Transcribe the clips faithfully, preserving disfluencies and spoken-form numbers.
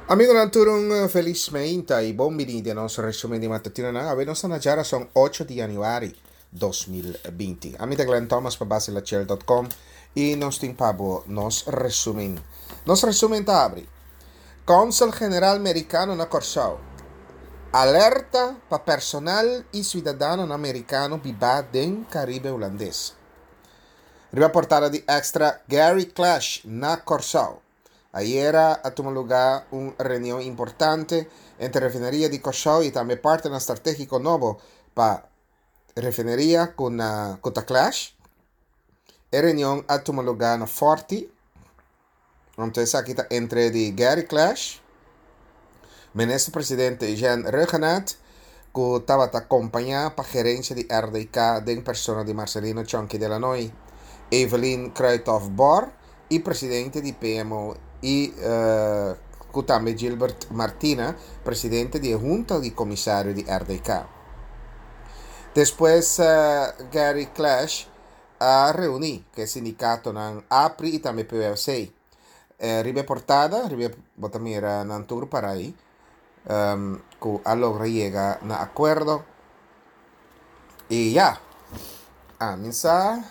Amigonan tur un felis mainta y bon bini den nos resumen di matutino. Awe nos ta na djarason ocho di januari dos mil binti. Ami ta Glenn Thomas pa basilachel punto com y nos tin pa bo nos resumen. Nos resumen ta abri. Consul General Mericano na Corsou. Alerta pa personal y ciudadano americano biba den Caribe Hulandes. Riba portada di Extra, Gary Klesch na Corsou. Ayera a tuma lugar un reunión importante entre refinería di Corsou y tambe partner estratégico nobo pa refinería con uh, Cota Klesch. E reunión a tuma lugar na Forti. Entonces aquí está entre di Gary Klesch, ministro presidente Jean Rhuggenaath, que estaba acompañada pa gerencia di R D K den persona di Marcelino Chonky de Lannoy, Evelyn Kruithof-Bor y presidente di P M O y, uh, también Gilbert Martina, presidente de Junta de Comisario de R D K. Después, uh, Gary Klesch a reuní que sindicato nan A P R I y también P W C. Eh, ribe portada, ribe botamira nan tour para ahí, um, ku a logra llega na acuerdo. Y ya, a misa,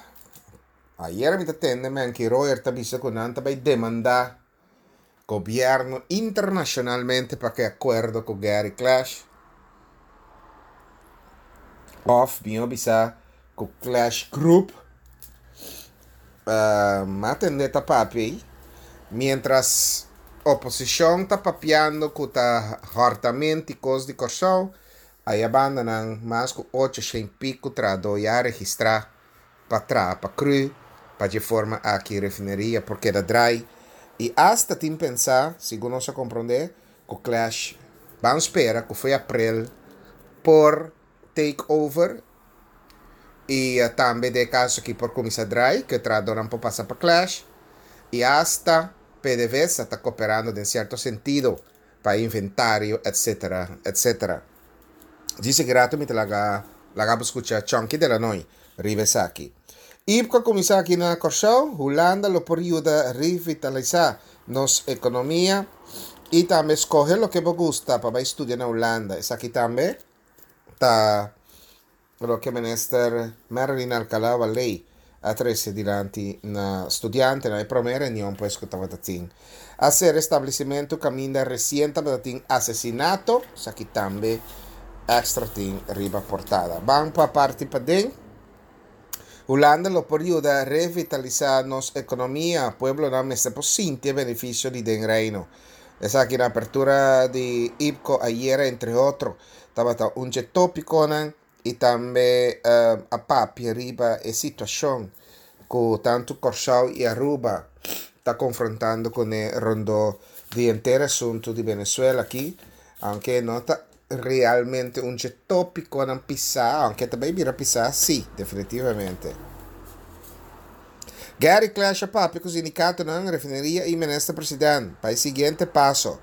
ayer mi tende me anki Royer ta bisa ku nan ta bai demanda gobierno internacionalmente pa que acuerdo con Gary Klesch. Of, mi bisa ku Klesch Group. Uh, matende ta papi. Mientras oposición ta papiando ku ta hartamente cos di Corsou, aí abandonan mas ku ocho cien pico trado ya registra pa tra, pa cru, pa de forma aqui refineria, porque da dry. E hasta tim pensar, segundo se compreender, ku Klesch van espera que foi april por take over e, uh, também de caso que por começar dry, que trado não pode passar pa Klesch, e hasta P D V S está cooperando en cierto sentido para inventario, etcétera, etcétera. Dice que rato me te laga, laga escuchar Chonky de la Noi, Ribesaki. I P C O comienza aquí na Corsou, Hulanda lo por ayuda a revitalizar nos economía y también escoge lo que vos gusta para estudiar en Holanda. Es aquí también está lo que minister Marilyn Alcalá Ley a trece delante na estudiante na primeira reunião pues que estaba tin hacer establecimiento caminda reciente tin asesinato, es aquí también extra tin riba portada. Van pa parte pa den. Holanda lo por ayuda a revitalizar nos economía, pueblo na mester por sinti beneficio di den reino. Esa aquí na apertura de I P C O ayer, entre otros, estaba ta un tópico nan, y también, uh, a papi arriba e situación que tanto Corsou y Aruba está confrontando con el rondo de entero asunto de Venezuela aquí, aunque no está realmente un tópico en pisar, aunque también mira pisar, sí, definitivamente. Gary Klesch papi con sindicato na refinería y ministro presidente para el siguiente paso.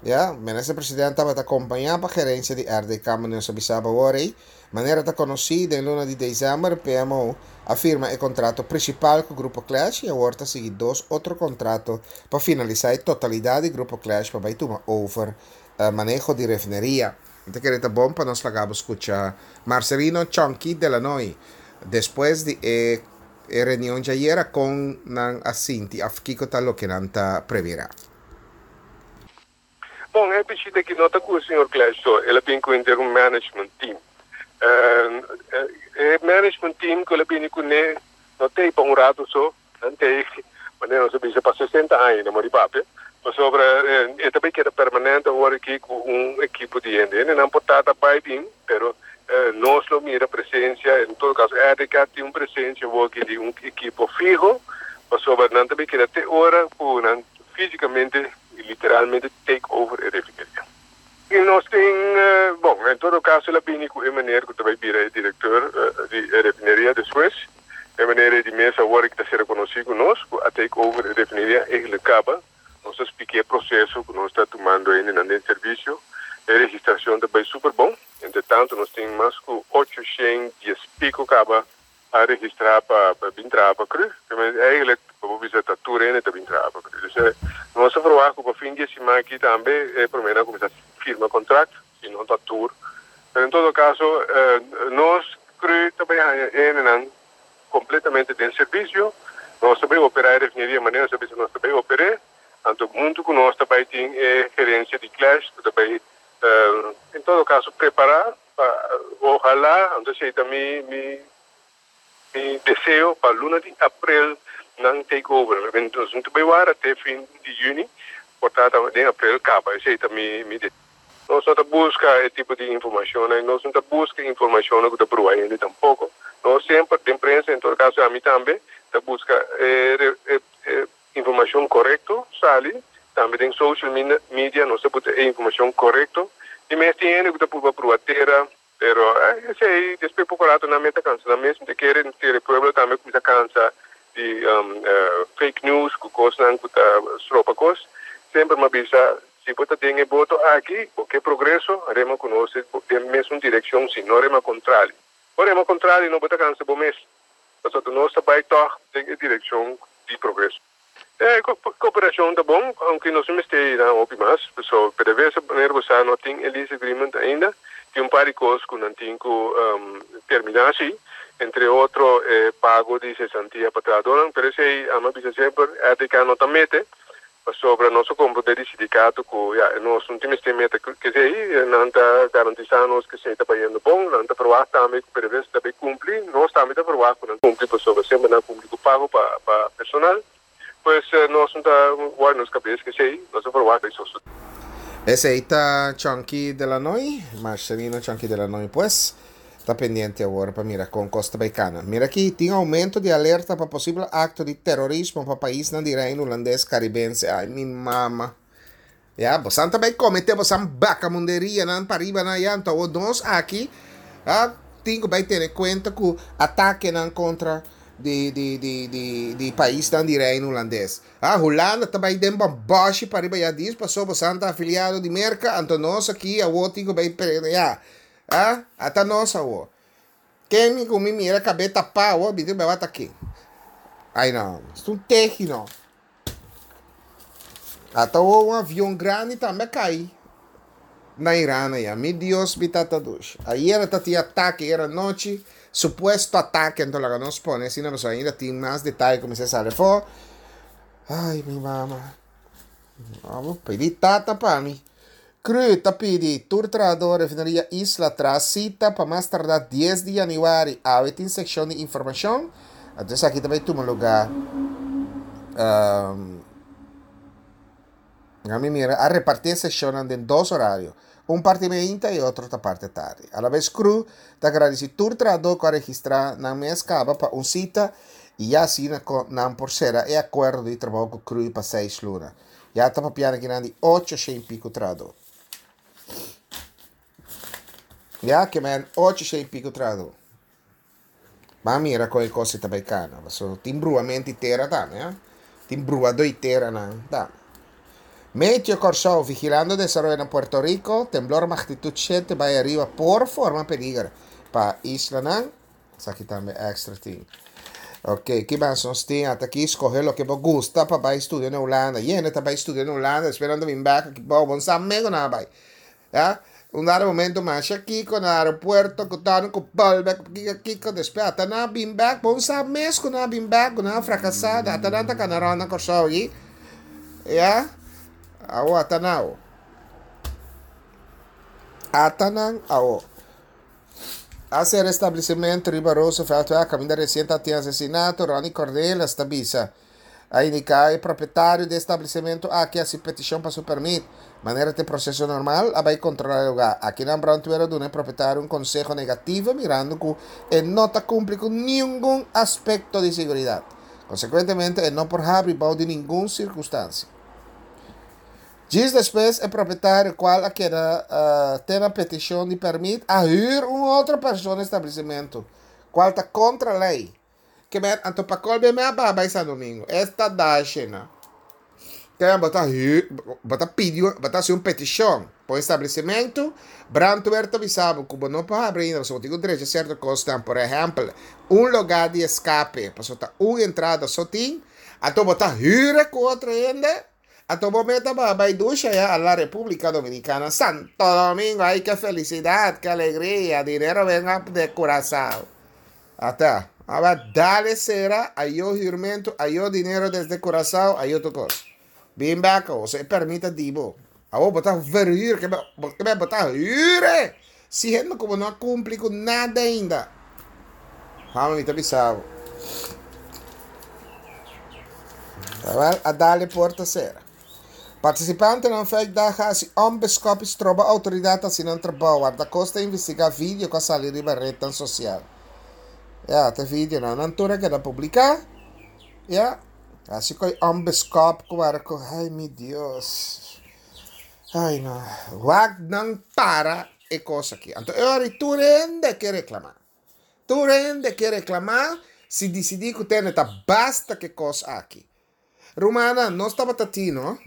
Ya, ministro presidente estaba acompañado por gerencia de R D K, nos avisaba ahora. Manera está conocida en luna de diciembre, P M O afirma el contrato principal con el Grupo Klesch y ahora sigue dos otros contratos para finalizar la totalidad del Grupo Klesch para tomar over, eh, manejo de refinería. Entonces, que bom para nos lagamos escuchar Marcelino Chonky de la Noy después de, eh, reunión de ayer con nan asinti afkiko tal lo que nanta previra. Bom, é preciso que nota que o senhor Klesch, ele tem que ter um management team. Uh, eh, management team que ele tem que ne não tem para um rato só, não tem, mas não se precisa para sessenta anos, não morre papi. Mas sobre, eh, é também que era permanente agora aqui com um equipo de gente, não pode estar bem, pero eh, nós lo mira presença, em todo caso, R D K tem uma presença aqui de um equipo fijo, mas sobre não também que até hora, por fisicamente e literalmente take over a refineria. E nós tem, uh, bom, em todo caso, ela vem com a maneira que também vira diretor uh, de refineria depois, a maneira de mesa agora que está sendo reconhecido conosco, a take over a refineria eigenlijk acaba. Nós expliquei o processo que nós está tomando ainda no serviço, a registração também super bom. Entretanto, nós temos mais que oitocentos e pico acaba a registrar para para entrar para cru. Eigenlijk, bijvoorbeeld, dat toerenen te entrar para cru. Dus, nós verwachten op fin de semana siman aki tambe e promé a kuminsá firma kontrakt, si no ta tur. Pero en todo kaso, eh, nos C R U tambe ta kompletamente den servisio. Nos tambe operá e refineria, manera servisio nos tambe operá. Anto, huntu ku nos tambe tin eh, gerensia di Klesch, tambe, eh, en todo kaso, prepará, pa, ohalá, anto esei mi, mi, mi deseo pa luna di aprel nan take over. Anto, nos tambe warda te fin di yüni, por tantu, den aprel kaba, esei ta mi, mi deseo. Nos no ta buska e tipo di informashon, nos no ta buska informashon ku ta brua ainda tampoko. Nos semper, den prensa, en todo kaso, ami tambe, ta buska eh, eh, eh, informashon korekto, sali, tambe den social media, nos ta buska informashon korekto, i mes tin ku ta brua tera, pero eh, esei, despues poko ratu nan mes ta kansa, nan mes ke e pueblo tambe kuminsá kansa di um, uh, fake news, ku kos ku ta stropa kos. Semper m'a bisa, si bo ta den e boto aki, ke progreso, rema ku nos den mesun direkshon, si no rema kontrario. O rema kontrario, no bo ta kansa bo mes. Pasobra nos ta bai toch den direkshon di progreso. E, kooperashon ta bon, aunke nos no mester na hopi mas, so, P D V S A, manera bo no tin lease agreement ainda, tin un par di kos ku nan tin ku um, terminá asina, entre otro eh, pago di sesantia pa trahadó, pero esei, ami a bisa semper, A T K no ta mete, sobre nos komprondé di sindikato ku ja, nos no tin meta ku esei nan ta garantisando ku esei ta bayendo bon, nan ta proba tambe ku P D V S A tambe kumpli, nos tambe ta proba ku nan kumpli, sobre semper nan kumpli ku pago pa pa personal. Pues nos no ta warda nos kabes ku esei, nos ta proba esei. Esei ta Chunky Delanoy, Marcelino Chunky Delanoy, pues, ta pendiente awor pa mira kon kos ta bai kana. Mira aki, tin oumento di alerta pa posibel akto di terorismo pa pais di Reino Hulandes Karibense. Ai, mi mama. Ja, bo tambe kometé, bo bakamunderia nan pariba na ya, anto nos aki, ah, tin ku bai tene kuenta ku atake nan kontra di di di di di pais di Reino Hulandes. Ah, Hulanda tambe den boshi pariba ya dis, pasobra bo ta afiliado di Merka, anto nos aki, awor tin ku bai ya. Ah, ata nos awor. Ken mi ku mi mira kabes tapá, awor, bidi bai aki. Ai no, un tehi no. Ata un avion grandi tambe a kai na Iran ya. Mi Dios, mi tata dushi. Ayera tabatin atake, ayera nochi, supuesto atake, anto laga nos pone, asina no ainda tin mas detaye ku kuminsá sali afó. Ai, mi mama. Ban pidi tata pa mi. C R U ta pidi tur trahadó refineria Isla traha sita pa mas tardá dies di yanüari. Awe tin seshon di informashon. Anto aki tambe ta tuma lugá. Um, ami mira, a repartí e seshon den dos orario. Un parti mainta i otro ta parti tardi. A la bes C R U ta gradisí tur trahadó ku a registrá nan mes kaba pa un sita i ya asina nan por sera e akuerdo di trabou ku C R U pa seis luna. Ya ta papiando aki di ocho i piku trahadó. Ya ke men ocho i piku trahadó. Ma mira kon e kos ta bai kana. So, tin bruamento di tera tambe, eh? Tin bruadó di tera nan, ta. Meteo Kòrsou, vigilando desaroyo na Puerto Rico, temblor magnitut shete bai ariba por forma peliger pa islanan. Esaki tambe extra tin. Ok, ki mas nos tin? Ata aki, skohe loke bo gusta pa bai studia na Hulanda. Hende ta bai studia na Hulanda, esperando bin bèk, bon, bon sa mego na bai. Ja? Un dado momento mas aki na aeropuerto ku ta ku bolbe kiko kiko despues ata nan bin bèk, bon sa mes ku nan bin bèk, ku nan frakasá, ata nan ta kana na Kòrsou aki. Ja? Awo ata nan. Ata nan awo. A sera establesimentu riba Roosevelt, kaminda resiente tin asesinato, Ronnie Cornelis ta bisa. A indiká e propietario di establesimentu aki a hasi petishon pa su pèrmit. Manera di proseso normal, a bai kontrolá e lugá. Aki na brandweer a duna e propietario un konseho negativo, mirando ku e no ta kumpli ku ningun aspekto di seguridat. Konsekuentemente, e no por habri den ningun sirkunstansia. Dies despues, e propietario, kual a keda uh, tin e petishon di pèrmit, a hür un otro persona establesimentu, kual ta kontra lei. Ke men, anto pa kolbe me a bai San Domingo. Esta dashena. Tem bota hür, bota pediu, bota assim um petishon pa establesimentu, brandweer ta avisá ku no por habri ainda, so tin derecho sierto kos, por ehèmpel, un lugá di eskape, pasobra ta un entrada so tin, anto bo ta hür ku otro hende. Anto bo meta pa bai dushi ya a la República Dominicana. Santo Domingo, ay, qué felicidad, qué alegría, dinero venga de Curazao. Ata, aba dale sera, ayo huurmento, ayo dinero desde Curazao, ayo tur kos. Bin back, o sea, permita dibo. Awo, bo ta verhuur, ke men bo ta huur. Siendo ku no a kumpli ku nada ainda. Hama mi ta bisa bo. A dale porta sera. Partisipantenan Vijfdag a hasi onbeskòp i stroba outoridat hasi nan trabou. Wardakosta a investigá video ku a sali riba retnan sosial. Ya, ta videonan nan tur a keda publiká. Ya, hasi ku e onbeskòp ku wara ku, ai mi Dios. Ai no. Wak nan para e kos aki. Anto e ora ei tur hende ke reklamá. Tur hende ke reklamá si disidí ku tene ta basta ku e kos aki. Rumannan, nos tabata tin, no?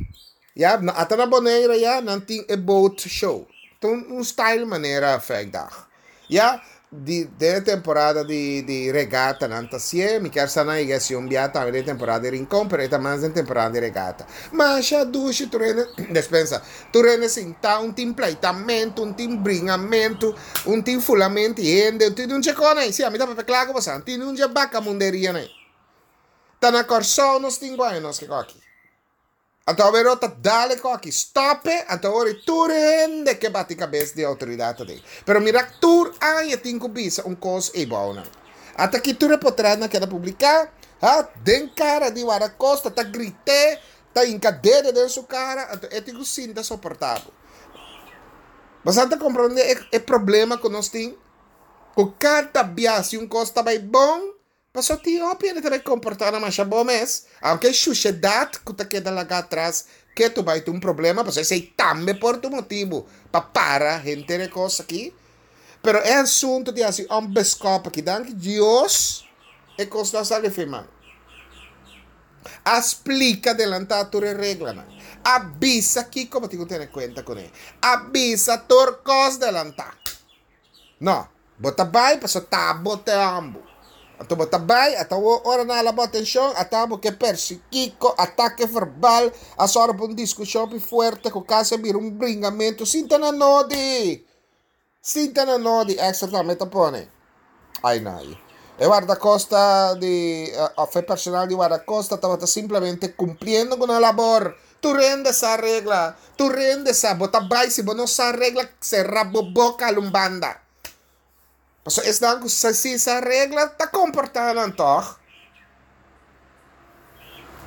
Ya, ata na Bonaire ya nan tin e boat show. Ta un, un style manera Vrijdag. Ya, di, den e temporada di, di regata nan ta hacié. Mi kier sa nan yega haci un bia tambe den temporada di Rincon, pero e ta mas den temporada di regata. Masha dushi tur hende, despensa, tur hende sinta, un tin pleitamento, un tin bringamento, un tin fulamento di hende, un tin un dje con ei. Si, ami ta papia kla cu boso, un tin un dje bakamunderia nan ei. Ta na Kòrsou nos tin guaña nos ke koki. Anto awor ta dale koki. Stop e, anto awor tur hende ke bati kabes di outoridat aden. Pero mira tur aña tin ku bisa un kos ei bou nan. Ata aki tur e potretnan keda publiká, ha, den kara di Warakosta ta grit'é, ta hinka dede den su kara, anto e tin ku sinta soportá bo. Boso ta komprondé e e problema ku nos tin? Ku kada bia si un kos ta bai bon, Pasobra tin hopi hende ta bai komportá nan masha bon mes, aunke e shushedat ku ta keda laga atras ketu bai ta un problema, pasobra esei tambe por ta un motibu pa para henter e kos aki. Pero e asuntu di hasi un beskòp aki, danki Dios e kos no a sali firmá. A splika delantá tur e reglanan. A bisa kiko bo tin ku tene kuenta kuné. A bisa tur kos delantá. No, bo ta bai pasobra ta bo te hòmbu. Anto bo ta bai, ata awor ora nan hala bo atenshon, ata bo ke persi kiko, atake verbal, a sòru pa un diskushon pi fuerte ku kasi a bira un bringamentu. Sinta na nodi! Sinta na nodi! Extra tambe ta pone. Ai nai. E wardakosta di, òf e personal di wardakosta tabata simplemente kumpliendo ku nan labor. Tur hende sa regla. Tur hende sa. Bo ta bai si bo no sa regla, sera bo boka alun banda. Pasobra esnan ku sa si sa regla ta komportá nan tòg.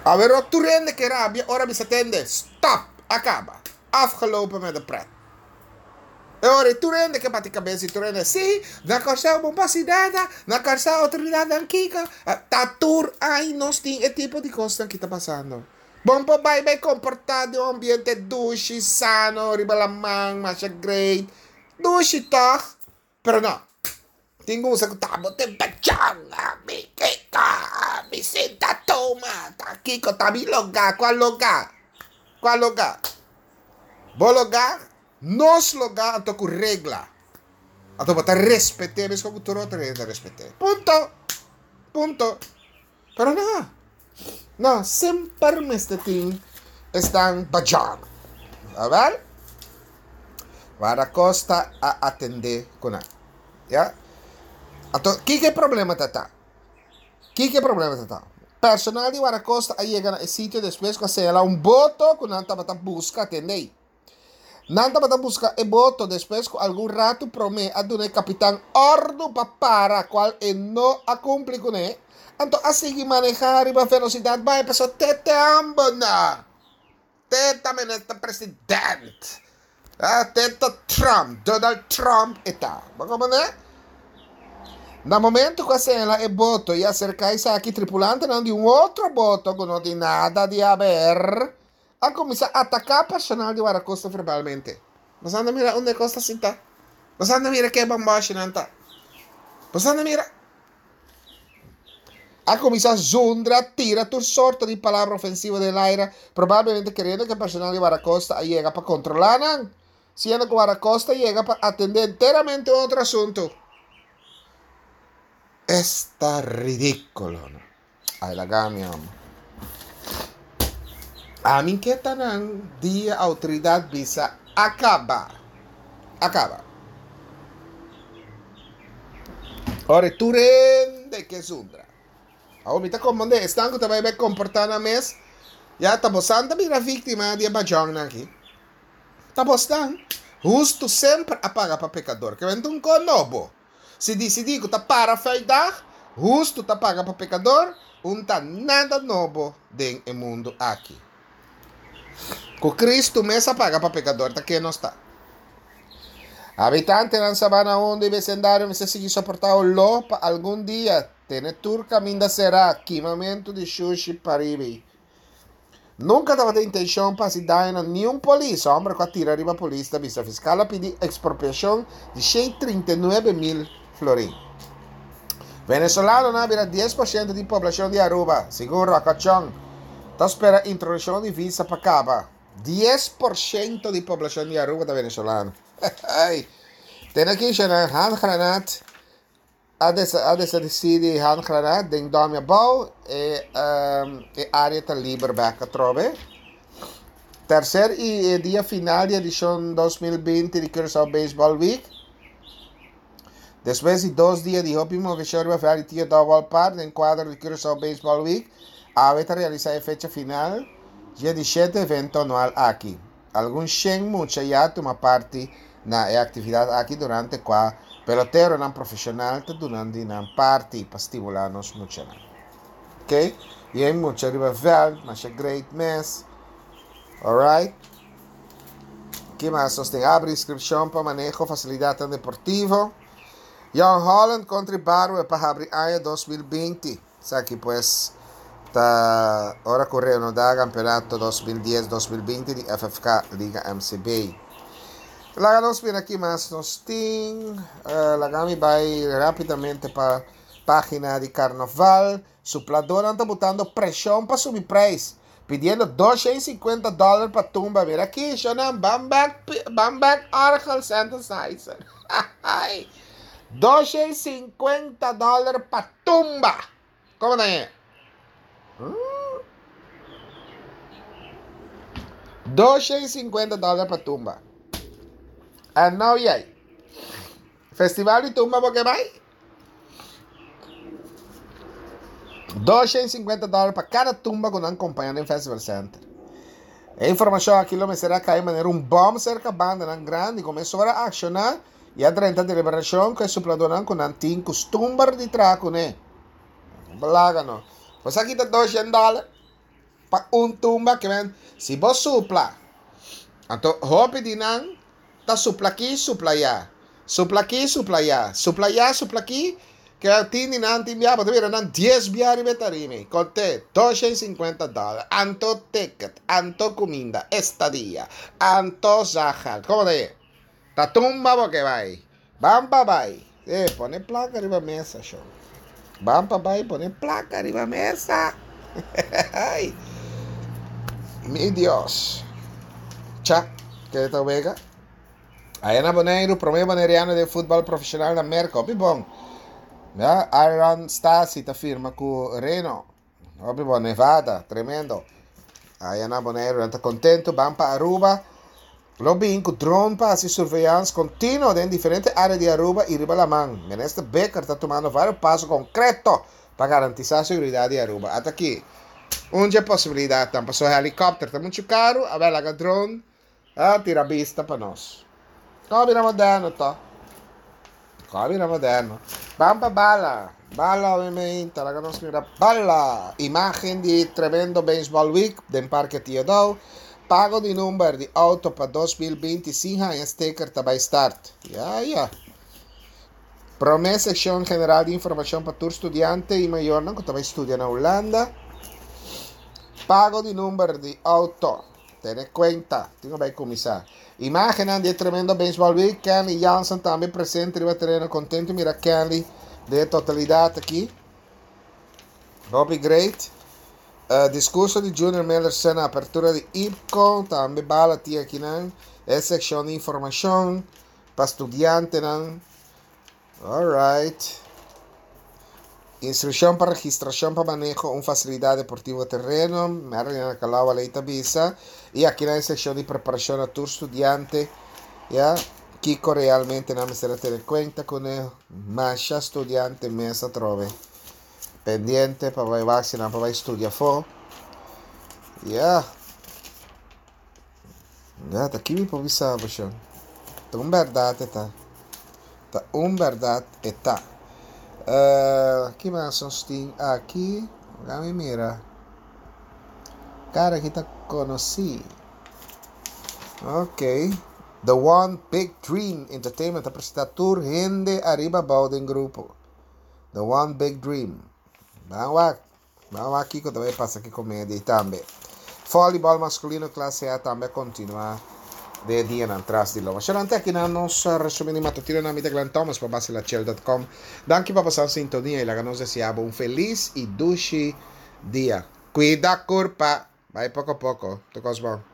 Awero tur hende ke rabia ora bisa tende, Stop! A kaba. Afgelopen met de pret. E ora ei tur hende ke bati kabes i tur hende, Si, na Kòrsou bo por hasi nada, na Kòrsou outoridatnan kiko. Ta tur ai nos tin e tipo di kosnan ki ta pasando. Bon por bai bai komportá den un ambiente dushi, sano, riba laman, masha great. Dushi tòg? Pero no. Tin ku usa ku ta bo tin pachon, mi kiko, mi sinta tuma, ta kiko, ta mi logá, kua logá? Kua logá? Bo logá, nos logá anto ku regla. Anto bo ta respet'é meskos ku tur otro hende ta respet'é. Punto! Punto! Pero no, no, semper mester tin esnan bajan. Awel, Guardacosta a atende ku nan. Ya. Anto, kiko e problema ta ta? Kiko e problema ta ta? Personal di Guardacosta a yega na e sitio despues ku a señalá un boto ku nan tabata buska atendé. Nan tabata buska e boto despues ku algun ratu promé a duna e kapitan òrdu pa para, kual e no a kumpli kuné, anto a sigui manehá riba velosidat bai pasobra te te ambo na te ta minister president, te ta Trump, Donald Trump e ta. Bo komprendé? Na momento ku a señalá e boto i a aserká esaki, tripulantenan di un otro boto ku no tin nada di haber, A kuminsá ataká personal di Warakosta verbalmente. Nos anda mira unda e kos ta sintá. Nos anda mira ke bambòshinan ta. Nos anda mira. A kuminsá zundra, tira tur sorto di palabra ofensivo den laira, probablemente keriendo ku e personal di Warakosta a yega pa kontrolá nan, siendo ku Warakosta yega pa atendé enteramente un otro asuntu. Esta ridíkulo, no? Ay laga mi amo. Ami ke ta nan dia outoridat bisa a kaba. A kaba. Ora tur hende ke zundra. Awor mi ta komprondé esnan ku ta bai bai komportá nan mes, ya ta bosan ta bira víktima di e bajònnan aki. Ta bosnan. Hustu semper a paga pa pekador. Ke benta un kon nobo. Si disidí ku ta para vijfdag, hustu ta paga pa pekador, un ta nada nobo den e mundu aki. Ku Kristu mes a paga pa pekador, ta ke nos ta. Habitantenan Sabana Hondo i besendario mester sigui soportá oló pa algun dia, tene tur kaminda será, kimamentu di shushi paribi. Nunka tabata intenshon pa hasi daño na niun polis, hòmber ku a tira riba polis ta bisa. Fiskal a pidi ekspropiashon di shen trinta i nuebe mil florin. Venezolanonan a bira dies por shento di poblashon di Aruba, segun Rocachon. Ta spera introdukshon di visa pa kaba. Dies por shento di poblashon di Aruba ta venezolano. Tene aki nan handgranaat a desapareci di handgranaat den Dòmi Abou. E, um, e area ta liber bek atrobe. Tercer i dia final di edishon dos mil binti di Curaçao Baseball Week. Despues di dos dia di hopi moveshon riba veld di Tio Daou Ballpark den kuadro di Curaçao Baseball Week, awe ta realisá e fecha final dje di shete evento anual aki. Algun shen mucha ya tuma parti na e aktividat aki durante kua peloteronan profeshonal ta duna di nan parti pa stimulá nos muchanan. Ok, yen mucha riba veld, masha great mes. Alright. Ki mas nos tin? Abri inskripshon pa maneho fasilidatnan deportivo. Jong Holland kontra Barwe pa habri aña dos mil binti. Esaki pues ta ora ku reanudá kampeonato dos mil dies dos mil binti di F F K Liga M C B. Laga nos mira ki mas nos tin. Uh, laga mi bai rápidamente pa página di Carnaval. Supladornan ta botando preshon pa subi prijs, pidiendo doscientos cincuenta dólares pa tumba. Mira aki, shonan, bam back, bam back orgel synthesizer. Ai. Doscientos cincuenta dólares pa tumba. Komo ta e? Hmm? Doscientos cincuenta dólares pa tumba. And now yay. Festival di tumba porque bai? Doscientos cincuenta dólares pa cada tumba ku nan acompañando en Festival Center. E información aquí lo me será caer manera un bomb cerca banda nan grande y comenzó a accionar y a treinta de liberación que suplador con nan tin costumbre de traco ne. Balaga no. Pues aquí está doscientos dólares pa un tumba que ven si vos supla. Anto hopi di nan ta supla aquí, supla allá. Supla aquí, supla allá. Supla allá, supla aquí. Que tin di nan tin bia, pero nan dies bia riba tarime. Conté doscientos cincuenta dólares. Anto ticket, anto comida, estadía, anto zahal. ¿Cómo te? Ta tumba porque vai. Bam pa bai. Eh, pone placa arriba mesa, show. Bam pa bai, pone placa arriba mesa. Ay. Mi Dios. Cha, que ta vega. Allá na Boneiru, primer boneriano de fútbol profesional na América. Opi bom. Ya, Aaron Stasi ta firma ku Reno. Opi bom, Nevada, tremendo. Allá na Boneiru, anda contento, van pa Aruba. Lo bin ku drone pa hacer surveillance continuo en diferentes áreas de Aruba y riba la man. Minister Bikker está tomando varios pasos concretos para garantizar seguridad de Aruba. Hasta aquí. Una posibilidad, tampoco pasó helicóptero, está mucho caro, a ver, la drone, ah, tira vista pa nos. Come moderno, to. Come moderno. Bamba bala. Bala, obviamente, la que mira bala. Imagen de tremendo Baseball Week del Parque Tio Daou. Pago de número de auto para dos mil veinticinco en sticker tabay start. Ya, ya. Promesa sección general de información para tu estudiante y mayor, ¿no? Que también estudia en Holanda. Pago de número de auto. Ten cuenta. Tengo que comenzar. Imagen de tremendo Baseball Week. Kenley Jansen también presente. Riba terreno contento. Mira Kenley de totalidad aquí. Bobby Great. Uh, discurso de Junior Miller na apertura de I P C O. También bala tía aquí, ¿no? Es sección de información para estudiantes, ¿no? All right. Instrukshon pa registrashon pa maneho un fasilidat deportivo tereno, Marilyn Calawa Leita bisa, i aki na sekshon di preparashon na tur studiante, ya, kiko realmente nan mester tene kuenta kuné, masha studiante mes atrobe. Pendiente pa bai vaksiná, pa bai studia afó. Ya. Ya, ta aki mi por bisa, ta un bèrdat ta. Ta un bèrdat ta. Uh, ki mas nos tin aki? Laga mira. Kara aki ta konosí. Ok. The One Big Dream Entertainment ta presentá tur hende ariba bou den grupo. The One Big Dream. Ban wak. Ban wak kiko tambe pasa aki komedia tambe. Voleibol maskulino klase A tambe a kontinuá di dia atras di lomba. Sharante aki na nos resúmen di matutino na mi ta Glenn Thomas pa basilachel punto com. Danki pa pasa sintonia i laga nos deseá un felis i dushi dia. Kuida kurpa. Bai poko poko. Tur kos bon.